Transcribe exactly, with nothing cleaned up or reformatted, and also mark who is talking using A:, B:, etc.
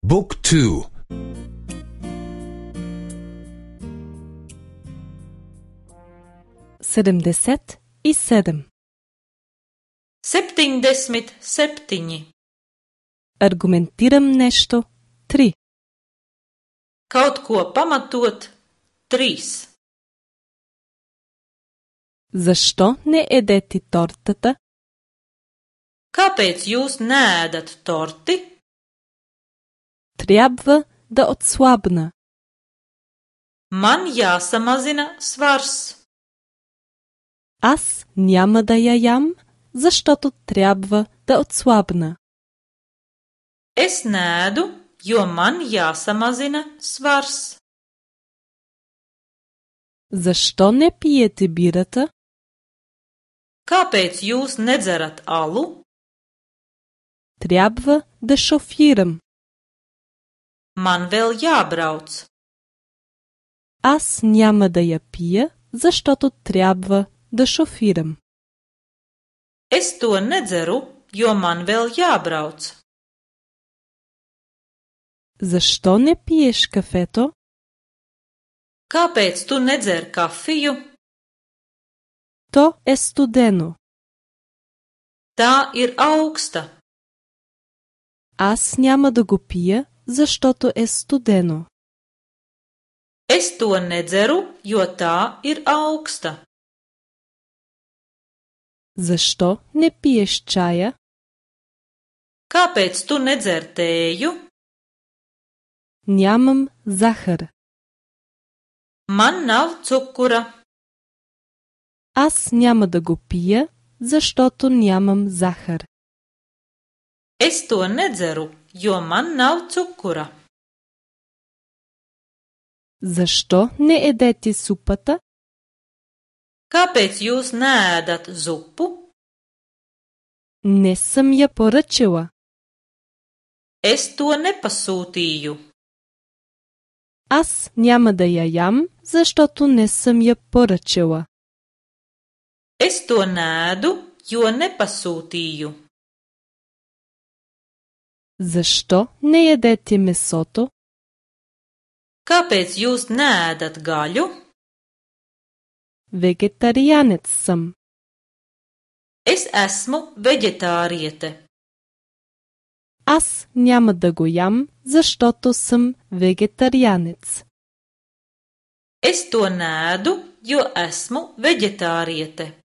A: Book two.
B: Sedemdeset i sedam.
C: Septiņdesmit septiņi.
B: Argumentiram nešto. Tri.
C: Kaut ko pamatot. Trīs.
B: Защо не едете тортата?
C: Kāpēc jūs neēdat torti?
B: Трябва да отслабна.
C: Man jāsamazina svars.
B: Аз няма да я ям, защото трябва да отслабна.
C: Es neēdu, jo man jāsamazina svars.
B: Защо не пиете бирата?
C: Kāpēc jūs nedzerat alu?
B: Трябва да шофирам.
C: Man vēl jābrauc.
B: Аз няма да я пия, защото трябва да шофирам.
C: Es to nedzeru, jo man vēl jābrauc.
B: Защо не пиеш кафето?
C: Kāpēc tu nedzer kafiju?
B: То е студено.
C: Tā ir augsta.
B: Аз няма да го пия, защото е студено.
C: Es to nedzeru, jo tā ir augsta.
B: Защо не пиеш чая?
C: Kāpēc tu nedzer tēju?
B: Нямам захар.
C: Man nav cukura.
B: Аз няма да го пия, защото нямам захар.
C: Es to nedzeru, jo man nav cukura.
B: Защо не едете супата?
C: Kāpēc jūs neēdat zupu?
B: Не съм я поръчала.
C: Es to nepasūtīju.
B: Аз няма да я ям, защото не съм я поръчала.
C: Es to neēdu, jo nepasūtīju.
B: Защо не ядете месото?
C: Kāpēc jūs neēdat gaļu?
B: Вегетарианец съм.
C: Es esmu veģetāriete.
B: Аз няма да го ям, защото съм вегетарианец.
C: Es to neēdu, jo esmu veģetāriete.